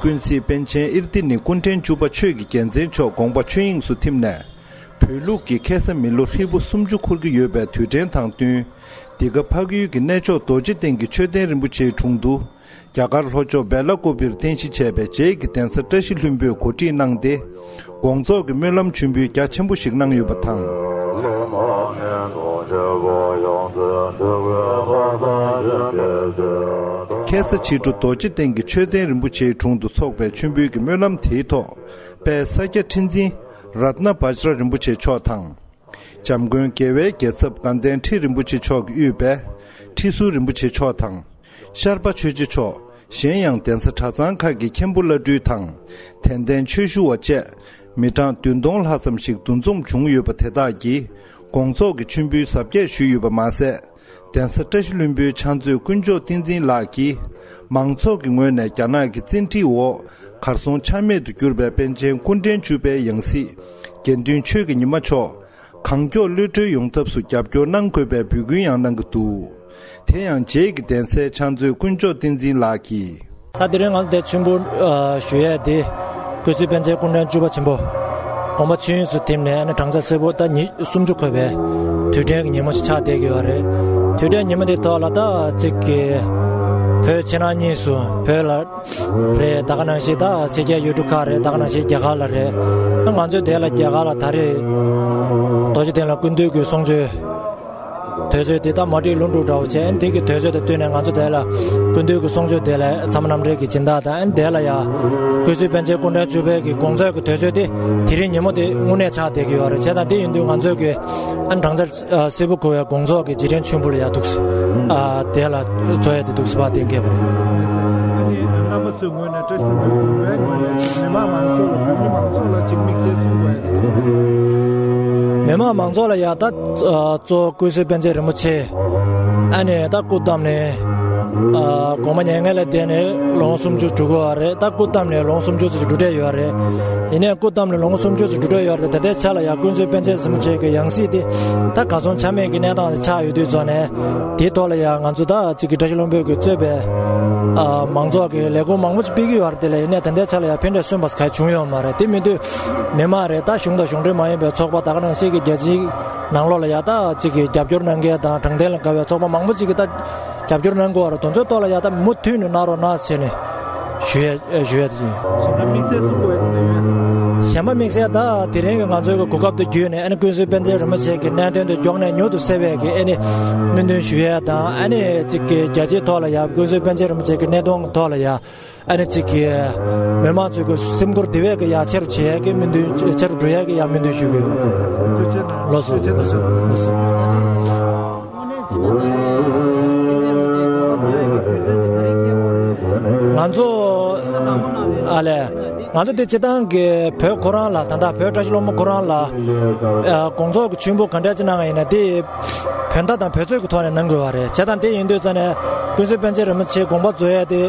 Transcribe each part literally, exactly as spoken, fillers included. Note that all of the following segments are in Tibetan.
ཀུན་གཟིགས་པཎ་ཆེན་ཨིར་ཏི་ནི་སྐུ་ཕྲེང་བཅུ་པ་ཆོས་ཀྱི་རྒྱལ་མཚན་མཆོག་དགོངས་པ་ཆོས་དབྱིངས་སུ་ཐིམ་ནས། བོད་ལུགས་ཀྱི་ཁ་སང་མི་ལོ་ཧྲིལ་པོ་སུམ་ཅུ་འཁོར་གྱི་ཡོད་པའི་དུས་དྲན་དང་བསྟུན། འདི་ག་འཕགས་ཡུལ་གྱི་གནས་མཆོག་རྡོ་རྗེ་གདན་གྱི་མཆོད་རྟེན་རིན་པོ་ཆེའི་དྲུང་དུ། རྒྱ་གར་ལྷོ་ཕྱོགས་བེ་ལ་ཀོ་པིར་རྟེན་གཞི་བྱས་པའི་རྗེས་ཀྱི་གདན་ས་བཀྲ་ཤིས་ལྷུན་པོས་གོ་སྒྲིག་གནང་སྟེ། དགོངས་རྫོགས་ཀྱི་སྨོན་ལམ་མཆོད་འབུལ་རྒྱ་ཆེན་པོ་ཞིག་གནང་ཡོད་པ་དང་། ཁ་སང་ཕྱི་དྲོ་རྡོ་རྗེ་གདན་གྱི་མཆོད་རྟེན་རིན་པོ་ཆེའི་དྲུང་དུ་འཚོགས་པའི་མཆོད་འབུལ་གྱི་སྨོན་ལམ་དེའི་ཐོག་པའི་ས་སྐྱ་ཁྲི་འཛིན་རཏྣ་བཛྲ་རིན་པོ་ཆེ་མཆོག་དང་། འཇམ་མགོན་རྒྱལ་བའི་རྒྱལ་ཚབ་དགའ་ལྡན་ཁྲི་རིན་པོ་ཆེ་མཆོག་གིས་དབུས་པའི་ཁྲི་ཟུར་རིན་པོ་ཆེ་མཆོག་དང་། ཤར་པ་ཆོས་རྗེ་མཆོག་གཞན་ཡང་གདན་ས་གྲྭ་ཚང་ཁག་གི་མཁན་པོ་བླ་སྤྲུལ་དང་། དད་ལྡན་ཆོས་ཞུ་བ་བཅས་མི་གྲངས་བདུན་སྟོང་ལྷག་ཙམ་ཞིག་འདུ་འཛོམས་བྱུང་ཡོད་པ་དེ་དག་གིས་དགོངས་རྫོགས་ཀྱི་མཆོད་འབུལ་གཟབ་རྒྱས་ཞུས་ཡོད་པ་མ་ཟད། གདན་ས་བཀྲ་ཤིས་ལྷུན་པོའི་ཕྱག་མཛོད་དཀོན་མཆོག་བསྟན་འཛིན་ལགས་ཀྱིས་མང་ཚོགས་ཀྱི་ངོས་ནས་རྒྱ་ནག་གི་བཙན་ཁྲིད་འོག་གར་སོང་ཆ་མེད་དུ་གྱུར་པའི་པཎ་ཆེན་སྐུ་ཕྲེང་བཅུ་པའི་ཡང་སྲིད་དགེ་འདུན་ཆོས་ཀྱི་ཉི་མ་མཆོག་གང་མགྱོགས་གློད་གྲོལ་ཡོང་ཐབས་སུ་རྒྱབ་སྐྱོར་གནང་དགོས་པའི་འབོད་སྐུལ་ཡང་གནང་གི་འདུག་དེ་ཡང་རྗེས་ཀྱི་གདན་སའི་ཕྱག་མཛོད་དཀོན་མཆོག་བསྟན་འཛིན་ལགས་ཀྱིས། ད་དེ་རིང་ང་ཚོ་འདིར་མཆོད་འབུལ་ཨ་ཞུ་ཡས་དེ། ཀུན་གཟིགས་པཎ་ཆེན་སྐུ་ཕྲེང་བཅུ་པ་ཆེན་པོ། དགོངས་པ་ཆོས་དབྱིངས་སུ་ཐིམ་ནས་ཨ་ནི་བགྲང་བྱ་སེར་པོ་ད་ཉི་སུམ་ཅུ་འཁོར་བའི་དུས་དྲན་གྱི་ཉིན་མོ་ཞིག་ཆགས་བསྡད་ཀྱི་ཡོད་རེད། དུས་དྲན་ཉིན་མོ་དེ་ཐོག་ལ་ད་གཅིག་གི་བོད་ཕྱི་ནང་གཉིས་སུ་བོད་ལ་རེད། ད་ག་ནང་བཞིན་ད་ཕྱི་རྒྱལ་ཡུལ་གྲུ་ཁག་རེད། ད་ག་ནང་བཞིན་རྒྱ་གར་ལ་རེད། ང་ཚོའི་དེ་ལ་རྒྱ་གར་ལ་ད་རེས་རྡོ་རྗེ་གདན་ལ་སྐུ་མདུན་གྱི་གསུང་ཆོས། དུས་ཚོད་དེ་ད་མ་བསྒྲིགས་ལུང་དྲུག་འདྲ་བོ་བྱས། དེ་གི་དུས་ཚོད་དང་བསྟུན་ནས་ང་ཚོ་དེ་ལ་སྐུ་མདུན་གྱི་གསུང་ཆོས་དེ་ལ་ཚད་མ་རྣམ་འགྲེལ་གྱི་སྦྱིན་བདག་དང་། དེ་ལ་ཡ་ཀུན་གཟིགས་པཎ་ཆེན་སྐུ་ཕྲེང་བཅུ་པའི་གི་དགོངས་རྫོགས་ཀྱི་དུས་ཚོད་དེ་དེ་རིང་ཉིན་མོ་དེ་དངོས་གནས་ཆགས་བསྡད་ཀྱི་ཡོད་རེད། བྱས་ཙང་དེ་ཡིན་དུས་ང་ཚོས་གི་ཨ་བགྲང་བྱ་སེར་པོ་འཁོར་བའི་དགོངས་རྫོགས་ཀྱི་རྗེས་དྲན་མཆོད་འབུལ་ལ་ཡ་འདུག་ཨ་དེ་ལ་འཛོལ་ཡ་དེ་འདུག་སེ་བ་གཏན་འཁེལ་བ་རེད། ཨ་ནི་རྣམ་པ་ཚོའི་ངོས་ནས་བཀྲ་ཤིས་ལྷུན་པོའི་དགོན་པའི་ངོས་ནས་མི་མང་མང་ཚོགས་ལ་བོད་མི་མང་ཚོགས་ལ་ཅིག་དམིགས་བསལ་གསུང་དགོས་ཡ་དེ། མི་མང་མང་ཚོགས་ལ་ཡ་ད་གཙོ་བོ་ཀུན་གཟིགས་པཎ་ཆེན་རིན་པོ་ཆེ། ཨ་ནི་ད་སྐུ་བལྟམས་ནས་ཨ་དགོངས་པ་མྱ་ངན་ལས་འདས་ནས་ལོ་ངོ་སུམ་ཅུ་འགྲོ་གི་ཡོད་རེད། ད་སྐུ་བལྟམས་ནས་ལོ་ངོ་སུམ་ཅུ་ཙམ་འགྲོ་གྲབས་ཡོད་རེད། ཡིན་ནའི་སྐུ་བལྟམས་ནས་ལོ་ངོ་སུམ་ཅུ་ཙམ་འགྲོ་གྲབས་ཡོད་རེད། ད་ལྟའི་ཆ་ལ་ཡ་ཀུན་གཟིགས་པཎ་ཆེན་རིན་པོ་ཆེ་གི་ཡང་སྲིད་དེ་ད་གར་སོང་ཆ་མེད་ཀྱི་གནས་སྟངས་ཆགས་ཡོད་དུས་ཙང་ནས། དེའི་ཐོག་ལ་ཡ་ང་ཚོ་ད་གཅིག་གི་བཀྲ་ཤིས་ལྷུན་པོ་གིས་གཙོས་པའི་ཨ་མང་ཚོགས་ཀྱི་ལས་ཁུངས་མང་པོ་ཅིག་སྤེལ་གྱི་ཡོད་རེད། དེ་ལ་ཡིན་ནའི་ད་ལྟའི་ཆ་ལ་ཡ་ཕན་འབྲས་སོན་པ་ག་བྱུང་ཡོད་མ་རེད། དེ་མིན་དུས་མི་མང་རེད། ད་གཞུང་དང་གཞུང་འབྲེལ་མ་ཡིན་པའི་ཚོགས་པ་ད་ག་ནང་བཞིན་གྱི་རྒྱལ་སྤྱིའི་ནང་ལོགས་ལ་ཡ་ད་གཅིག་གི་རྒྱབ་སྐྱོར་གནང་མཁན་དང་དྲང་བདེན་ལ་དགའ་བའི་ཚོགས་པ་མང་པོ་ཅིག་གིས་ད་རྒྱབ་སྐྱོར་གནང་གི་ཡོད་རེད། དེ་ཚོའི་ཐོག་ལ་ཡ་ད་མུ་མཐུད་ནས་གནང་རོགས་གནང་ཟེར་ནས་ཞུ་ཡ་ཞུ་ཡ་དེ་ཡིན། གཞན་པ་དམིགས་བསལ་གསུང་དགོས་ཡ་དེ་འདྲ་ཡོད། གཞན་པ་དམིགས་བསལ་ད་དེ་རིང་གི་ང་ཚོའི་གོ་སྐབས་དེ་བརྒྱུད་ནས་ཨ་ནི་ཀུན་གཟིགས་པཎ་ཆེན་རིན་པོ་ཆེ་གི་གནད་དོན་དེ་མགྱོགས་ནས་མྱུར་དུ་སེལ་བའི་གི་ཨ་ནི་སྨོན་འདུན་ཞུ་ཡ་དང་། ཨ་ནི་གཅིག་གི་རྒྱལ་སྤྱིའི་ཐོག་ལ་ཡ་ཀུན་གཟིགས་པཎ་ཆེན་རིན་པོ་ཆེ་གི་གནད་དོན་གི་ཐོག་ལ་ཡ། ཨ་ནི་གཅིག་གི་མི་མང་ཚོའི་གི་སེམས་ཁུར་དེ་བས་གི་ཡ་ཆེ་རུ་བྱེད་ཡ་གི་སྨོན་འདུན། ཆེ་རུ་འགྲོ་ཡ་གི་ཡ་སྨོན་འདུན་ཞུ་གི་ཡོད། ལགས་སོ། ལགས་སོ། ལགས་སོ། ང་ཚོ་ཨ་ལས། ང་ཚོ་དེ་སྤྱིར་བཏང་གི་བོད་ཁོ་རང་ལ། ད་ལྟ་བོད་བཀྲ་ཤིས་ལྷུན་པོ་ཁོ་རང་ལ་ཨ་དགོངས་རྫོགས་ཀྱི་མཆོད་འབུལ་ག་འདྲ་ཅིག་གནང་བ་ཡིན་ན་དེ་བོད་མདའ་དང་བོད་གཙོས་ཀྱི་ཐོག་ནས་གནང་དགོས་པ་རེད། བྱས་ཙང་དེ་ཡིན་དུས་ཙང་ནས་ཀུན་གཟིགས་པཎ་ཆེན་རིན་པོ་ཆེའི་དགོངས་པ་རྫོགས་ཡས་དེ་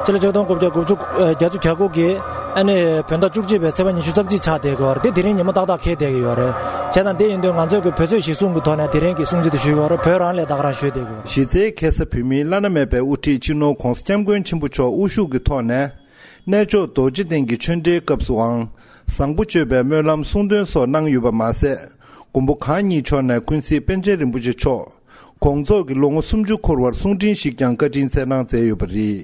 སྤྱི་ལོ་ཆིག་སྟོང་དགུ་བརྒྱ་དགུ་བཅུ་བརྒྱད་ཅུ་གྱ་དགུ་གི་ཨ་ནི་བོད་ཟླ་བཅུ་གཅིག་པའི་ཚེས་པ་ཉི་ཤུ་རྩ་གཅིག་ཆགས་བསྡད་ཀྱི་ཡོད་རེད། དེ་དེ་རིང་ཉིན་མོ་ཏག་ཏག་འཁེལ་བསྡད་ཀྱི་ཡོད་རེད། བྱས་ཙང་དེ་ཡིན་དུས་ང་ཚོས་ཀྱི་བོད་ཚོས་གཞི་བཟུང་གི་ཐོག་ནས་དེ་རིང་གི་སྲུང་བརྩི་དེ་ཞུས་ཀྱི་ཡོད་རེད། བོད་རང་ལས་ད་ག་རང་ཞུས་བསྡད་ཀྱི་ཡོད་རེད། གཞི་རྩའི་ཁ་སང་བོད་མིའི་བླ་ན་མེད་པའི་དབུ་ཁྲིད་སྤྱི་ནོར་༧གོང་ས་༧སྐྱབས་མགོན་ཆེན་པོ་མཆོག་དབུ་བཞུགས་ཀྱི་ཐོག་ནས། གནས་མཆོག་རྡོ་རྗེ་གདན་གྱི་ཆོས་འབྲེལ་སྐབས་སུའང་བཟང་པོ་སྤྱོད་པའི་སྨོན་ལམ་གསུང་འདོན་སོགས་གནང་ཡོད་པ་མ་ཟད། མགོན་པོ་གང་ཉིད་མཆོག་ནས་ཀུན་གཟིགས་པཎ་ཆེན་རིན་པོ་ཆེ་མཆོག་དགོངས་རྫོགས་ཀྱི་ལོ་ངོ་སུམ་ཅུ་འཁོར་བར་གསུང་འཕྲིན་ཞིག་ཀྱང་བཀའ་དྲིན་སྩལ་གནང་མཛད་ཡོད་པ་རེད།